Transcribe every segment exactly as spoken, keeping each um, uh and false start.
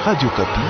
Radio Okapi.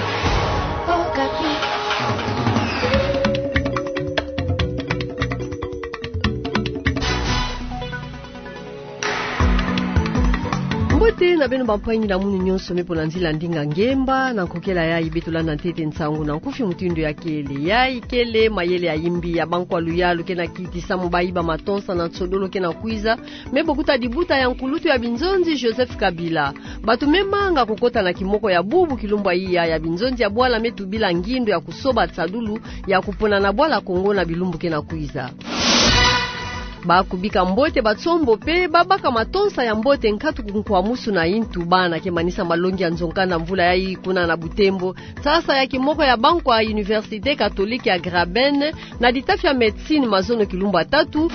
Mbote na beno bampangi na munu nyonso me pona nzila ndinga ngemba, na nkokela yayi beto landa ntete nsangu na nkufi mutindu ya kele. Yayi kele mayele ya imbi ya bankwa luyalu ke na kiti samu bayiba matonsa na nsodolo ke na kwiza, me bokuta dibuta ya nkulutu ya binzonzi Joseph Kabila. Bato me manga kukota na kimoko ya bubu kilumbu ya iya ya binzonzi ya bwala me tubila ngindo ya kusoba nsadulu ya kupona na bwala Kongo na bilumbu ke na kwiza. Ba kubika mbote batsombo pe babaka matonsa ya mbote nkatu ku nkwamusu na intu bana ke manisa malongi ya nzo-nkanda mvula yayi kuna na Butembo. Sasa ya kimoko ya bankwa Université Catholique ya Graben na ditafi ya médecine mazono kilumbu ya tatu.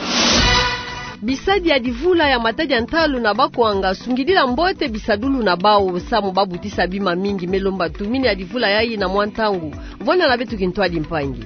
Bisadi ya divula ya matadi ya ntalu na bakwanga sungidila mbote bisadulu na bawu samu babutisa bima mingi, me lomba tumini ya divula yayi na mwa ntangu. Vwanda na beto kintwadi mpangi.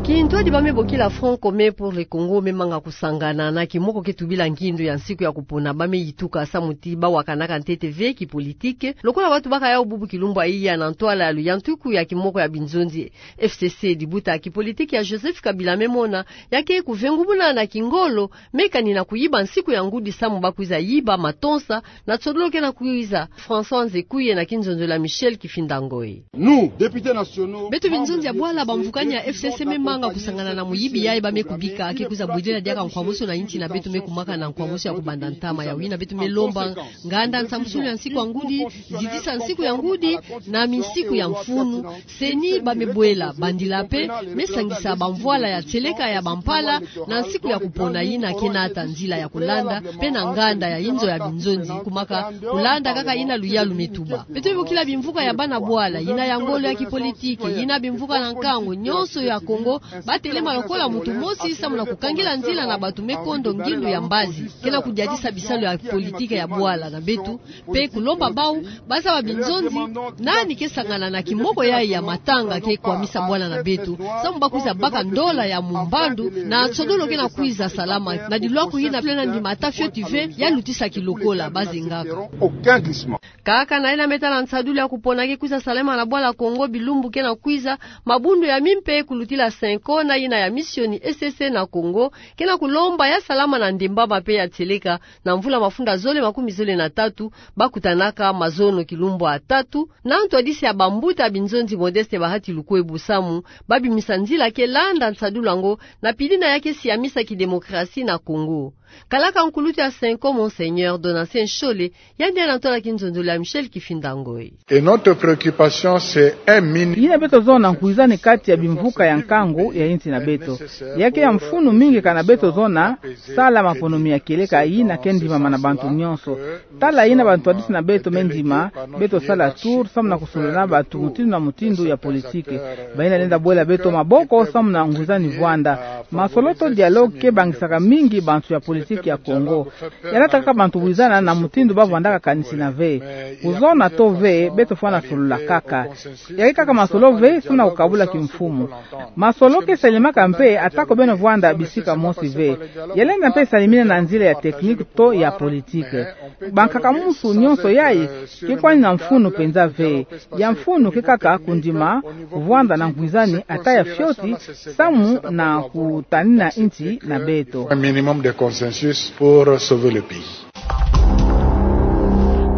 Kintwadi ba me bokila Front Commun pour le Congo me manga kusangana na kimoko ke tubila ngindo ya nsiku ya kupona, ba me yituka samu ti bawakanaka ntete ve kipolitike lokola bato baka yawu bubu kilumbu ya iya na ntwala ya luyantuku ya kimoko ya binzonzi. F C C, dibuta ya kipolitike ya Joseph Kabila me mona ya ke kuvengumuna na kingolo, me kani na kuyiba nsiku ya ngudi samu bakwiza yiba matonsa na nsodolo ke na kwiza. François Nzekuye na kinzonzolo ya Michel Kifinda Ngoy. Nous, députés nationaux, beto binzonzi ya bwala, bamvukani ya F C C me manga kusangana na muyibi yayi ba me kubika ke kwiza bwidila diaka nkwamusu na inti na beto me kumaka na nkwamusu ya kubanda ntama. Ya wina beto me lomba nganda nsambusulu ya nsiku ya ngudi, zitisa nsiku ya ngudi na minsiku ya mfunu. CENI ba me bwela bandila pe me sangisa bamvwala ya tieleka ya bampala na nsiku ya kupona yina ke nata nzila ya kulanda pe na nganda ya inzo ya binzonzi kumaka kulanda kaka yina luyalu me tuba. Beto me bokila bimvuka ya bana bwala, yina ya ngolo ya kipolitike, yina bimvuka na nkangu nyonso ya Kongo, batelema lokola muntu mosi samu na kukangila nzila na bato me kondo ngindu ya mbazi ke na kudiatisa bisalu ya politike ya bwala na beto, pe kulomba bawu bazaba binzonzi nani ke sangana na kimoko yayi ya matanga ke kwamisa bwala na beto, samu bakwiza baka ndola ya mumbandu na nsodolo ke na kwiza salama na dilwaku yina pe na ndima ata fioti ve ya lutisa kilokola bazengaka. Aucun glissement. Kaka na yina me tala nsadulu ya kupona ke kwiza salama na bwala Kongo bilumbu ke na kwiza, mabundu ya mimpe kulutila CENCO na yina ya misioni S S na Kongo ke na kulomba ya salama na ndembama pe ya tieleka na mvula mafunda zole makumi zole na tatu, bakutanaka mazono kilumbu ya tatu na ntwadisi ya bambuta binzonzi Modeste Bahati Lukwebo samu babimisa nzila ke landa nsadulu yango na pili na ya ke siamisa kidemokrasi na Kongo. Kalaka nkulutu ya CENCO, Monseigneur Donatien Nshole, yandi na ntwala kinzonzolo ya Michel Kifinda Ngoy. Et notre préoccupation, c'est un minimum. Yina beto zona nkwizani kati ya bimvuka ya nkangu ya insi na beto. Ya ke ya mfunu mingi kana beto zona sala maponomi ya kieleka yina ke ndimama na bantu nyonso. Tala yina bantwadisi na beto me ndima, beto sala tour samu na kusolola na bato mutindu na mutindu ya politike. Bayina lenda bwela beto maboko samu na nkwizani vwanda. Masolo to dialogue ke bangisaka mingi bantu ya politike ya Kongo. Ya natakaka bantu wizana na mutindu bavwandaka kanisi na ve. Kuzona to ve, beto fwana solola kaka. Ya ke kaka masolo ve samu na kukabula kimfumu. Masolo ke salemaka mpe atako beno vwanda bisika mosi ve. Ya lenda mpe salimina na nzila ya technique to ya politique. Bankaka musu nyonso yayi ke kwani na mfunu penza ve. Ya mfunu ke kaka kundima, kuvwanda na nkwizani ata ya fioti samu na kutanina insi na beto. Un minimum de consensus pour sauver le pays.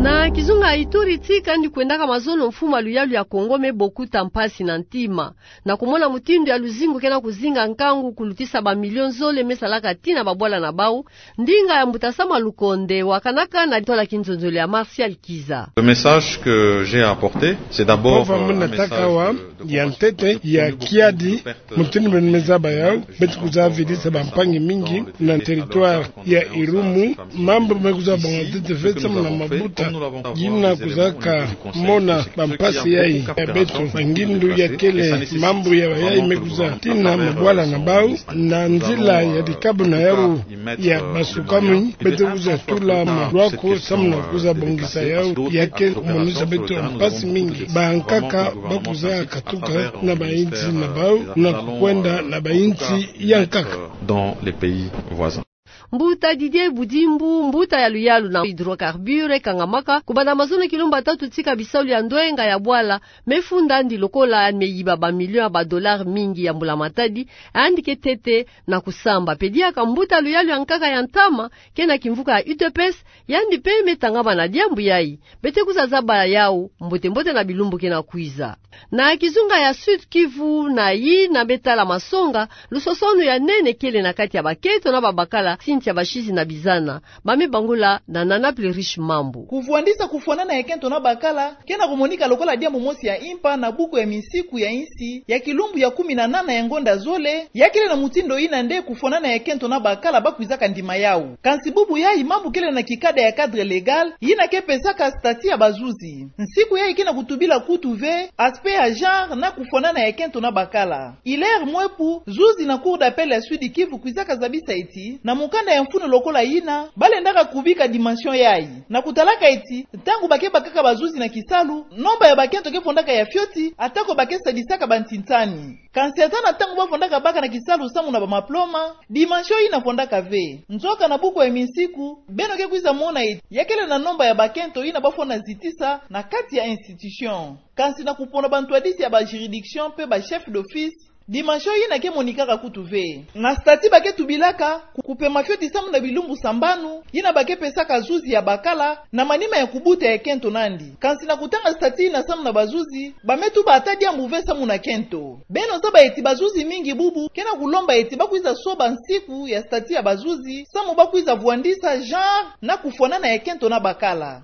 Na kizunga Ituri, tika ndi kwendaka mazono mfumu ya luyalu ya Kongo me bokuta mpasi na ntima na kumona mutindu ya luzingu ke na kuzinga nkangu kulutisa ba millions zole me salaka tina babwala na bawu. Ndinga ya mbuta Sama Lukonde wakanaka na ntwala kinzonzolo ya Martial Kiza. Le message que j'ai à apporter, c'est d'abord, euh, un message de, de consolidation. Mpova mu nataka awa, ya ntete, ya kiadi, mutindu beno me zaba yawu, beto kwiza vidisa bampangi mingi na territoire ya Irumu, mambu me kwiza bonga ntete ve samu na mabuta, yina kwizaka mona bampasi yayi ya beto, bangindu ya kele, mambu ya bayayi me kwiza tina mabwala na bawu, na nzila ya dikabu na yawu ya basukami, beto kwiza tula malwaku samu na kwiza bongisa yawu, ya ke monisa beto mpasi mingi. Bankaka ba kwiza katuka na bayinsi na bawu, na kukwenda na bayinsi ya nkaka. Dans les pays voisins. Mbuta Didier Budimbu, mbuta ya luyalu na hydrocarbures, kangamaka kubanda mazono kilumbu tatu tika bisalu ya ndwenga ya bwala mefunda yandi lokola meyiba ba millions ya ba dollars mingi ya mbula matadi, yandi ke tete na kusamba. Pediaka mbuta luyalu ya nkaka ya ntama, ke na kimvuka ya U D P S, yandi pe me tangama na diambu yayi. Beto kwiza zaba yawu mbote mbote na bilumbu ke na kwiza. Na kizunga ya Sud-Kivu, na yina me tala masonga, lusosonu ya nene kele na kati ya bakento na babakala, Cynthia Bashizi na Bizana. Ba me bangula na Nana Plerish Mambu. Kuvwandisa kufwanana ya kento na bakala ke na kumonika lokola diambu mosi ya impa na buku ya minsiku ya insi ya kilumbu ya kumi na nana ya ngonda zole, ya kele na mutindu yina nde kufwanana ya kento na bakala ba kwizaka ndima yawu. Kansi bubu yayi mambu kele na kikada ya cadre légal yina ke pesaka statut ya bazuzi. Nsiku yayi ke na kutubila kutu ve aspect ya genre na kufwanana ya kento na bakala. Hilaire Mwepu, zuzi na Cour d'appel ya Sud-Kivu, kwizaka zabisa eti, na mukanda ya mfunu lokola yina, ba lendaka kubika dimension yayi, na kutalaka eti, ntangu ba ke bakaka bazuzi na kisalu, nomba ya bakento ke fondaka ya fioti, atako ba ke sadisaka bantintani. Kansi ata na ntangu ba fondaka baka na kisalu samu na bamaploma, dimension yina fondaka ve. Nzoka na buku ya minsiku, beno ke kwiza mona eti, ya kele na nomba ya bakento yina ba fwana zitisa na kati ya institution. Kansi na kupona bantwadisi ya ba juridiction pe ba chef d'office, dimension yina ke monikaka kutu ve. Na statut ba ke tubilaka, ku-, kupema fioti samu na bilumbu sambanu, yina ba ke pesaka zuzi ya bakala, na manima ya kubuta ya kento nandi. Kansi na kutanga statut yina samu na bazuzi, ba me tuba ata diambu ve samu na kento. Beno zaba eti bazuzi mingi bubu ke na kulomba eti ba kwiza soba nsiku ya statut ya bazuzi, samu ba kwiza vwandisa genre na kufwanana ya kento na bakala.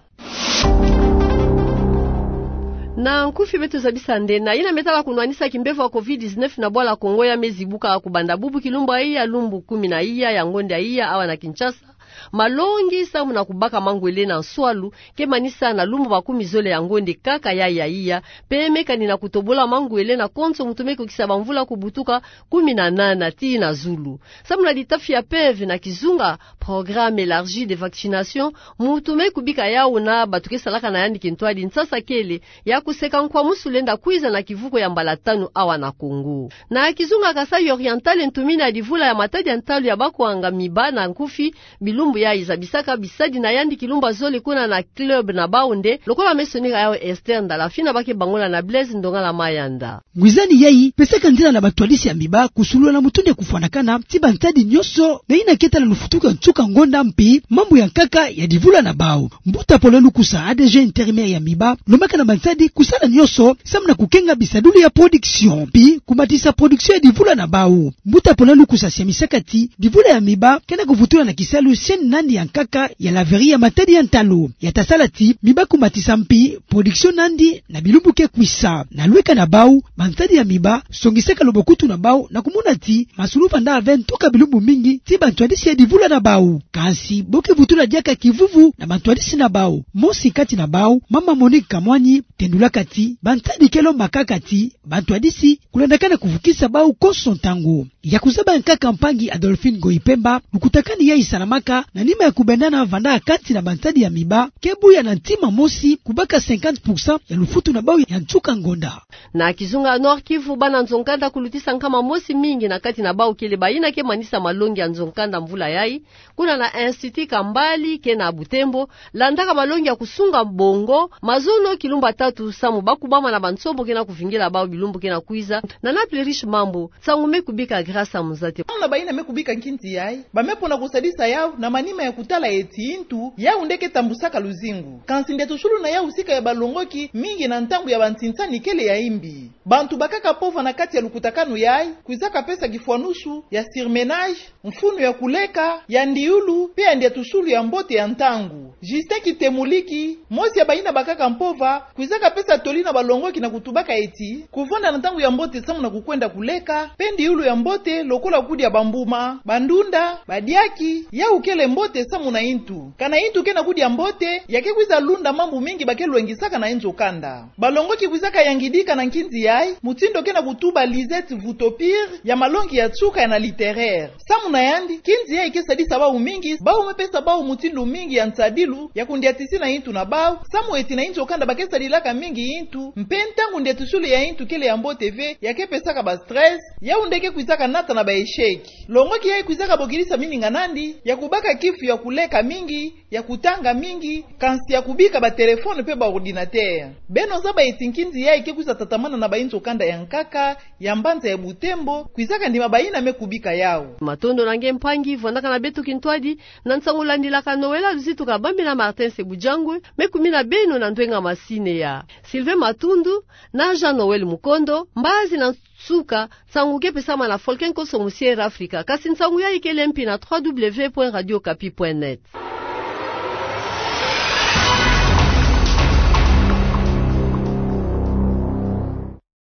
Na nkufi beto zabisa nde, na yina me tala kunwanisa kimbevo ya covid dix-neuf na bwala Kongo ya me zibuka kubanda bubu kilumbu ya iya, lumbu kumi na iya ya ngonda ya iya awa na Kinshasa, malongi samu na kubaka mangwele na nswalu ke manisa na lumbu makumi zole ya ngonda kaka ya ya iya, pe me kani na kutobola mangwele na konso muntu me kukisa bamvula kubutuka kumi na nana tii na zulu. Samu na litafi ya P E V na kizunga, Programme élargi de vaccination, muntu me kubika yawu na bato ke salaka na yandi kintwadi nsasa kele ya kuseka nkwamusu lenda kwiza na kivuko ya mbala tanu awa na Kongo. Na kizunga Kasaï Oriental, ntumina ya divula ya matadi ya ntalu ya bakwanga miba na nkufi, bilumbu yayi zabisaka bisadi na yandi kilumbu ya zole kuna na club na bawu nde, lokola me sonika yawu Esther Ndalafina, ba ke bangula na Blaise Ndongala Mayanda. Ngwizani yayi pesaka nzila na bantwadisi ya miba kusulula na mutindu ya kufwanakana ti bantadi nyonso na yina ke tala lufutuku ya nsuka ngonda mpi mambu ya nkaka ya divula na bawu. Mbuta Paul Lukusa, A D G intérimaire ya miba, lombaka na bantadi kusala nyonso samu na kukenga bisadulu ya production mpi kumatisa production ya divula na bawu. Mbuta Paul Lukusa siamisaka ti divula ya miba ke na kuvutula na kisalu chaîne nandi ya nkaka ya laverie ya matadi ya ntalu. Ya ta sala ti miba kumatisa mpi production nandi na bilumbu ke kwisa. Na lweka na bawu, bantadi ya miba songisaka lobokutu na bawu na kumona ti masulu vanda ve ntuka bilumbu mingi ti bantwadisi ya divula na bawu. Kansi bo ke vutula diaka kivuvu na bantwadisi na bawu. Mosi kati na bawu, mama Monique Kamwani, tendulaka ti bantadi ke lomba kaka ti bantwadisi kulandakana kuvukisa bawu konso ntangu. Ya kuzaba nkaka mpangi Adolphine Ngoyi Pemba, lukutakanu yayi salamaka na nima ya kubendana vanda kati na bantadi ya miba ke buya na ntima mosi kubaka cinquante pour cent ya lufutu na bawu ya nsuka ngonda. Na kizunga Nord-Kivu, bana nzo-nkanda kulutisa nkama mosi mingi na kati na bawu kele bayina ke manisa malongi ya nzo-nkanda mvula yayi, kuna na Institut Kambali ke na Butembo, landaka malongi ya kusunga bongo, mazono kilumbu tatu samu ba kubama na bansombo ke na kuvingila bawu bilumbu ke na kwiza. Nana Plerish Mambu, nsangu me kubika Grâce Muzate. Bana bayina me kubika nkinzi yayi, ba me pona kusadisa yawu na manima ya kutala eti ntu yawu nde ke tambusaka luzingu. Kansi ndiatusulu na yawu sika ya balongoki mingi na ntangu ya bansinsani kele ya imbi. Bantu bakaka mpova na kati ya lukutakanu yayi kwizaka pesa kifwanusu ya surmenage, mfunu ya kuleka, ya ndiulu, pe ya ndiatusulu ya mbote ya ntangu. Justin Kitemuliki, mosi ya bayina bakaka mpova, kwizaka pesa toli na balongoki na kutubaka eti, kuvanda na ntangu ya mbote samu na kukwenda kuleka, pe ndiulu ya mbote lokola kudia bambuma, bandunda, badiaki, yawu kele mbote samu na intu. Kana intu ke na kudia mbote, ya ke kwiza lunda mambu mingi ba ke lwengisaka na inzo kanda. Balongoki kwizaka yangidika na nkinzi yayi, mutindu ke na kutuba Lisette Vutopir, ya malongi ya nsuka ya na littéraire. Samu na yandi, nkinzi yayi ke sadisa bau mingi, bau me pesa bau mutindu mingi ya nsadilu, ya kundiatisina intu na bau, samu eti na inzo kanda ba ke sadilaka mingi intu, mpe ntangu ndiatisulu ya intu kele ya mbote ve, ya ke pesaka ba stress, yau nde ke kwizaka nata na ba échec. Longoki yayi kwizaka bokidisa mininga nandi, ya kubaka kifu ya kuleka mingi, ya kutanga mingi, kansi ya kubika ba téléphone mpe ba ordinateur. Beno zaba eti nkinzi yayi ke kwiza tatamana na ba inzo kanda ya nkaka, ya mbanza ya Butembo, kwizaka ndima bayina me kubika yau. Matondo na nge mpangi, vwandaka na beto kintwadi, na nsangu landilaka Noëlla Luzitu kabambila Martin Sebujangwe, me kumina beno na ndwenga masineya. Sylvain Matundu, na Jean Noël Mukondo, mbazi na nsuka, nsangu ke pesama na Folken Koso mu Sierra Africa, kasi nsangu yayi kele mpi na trois W point radio kapi point net.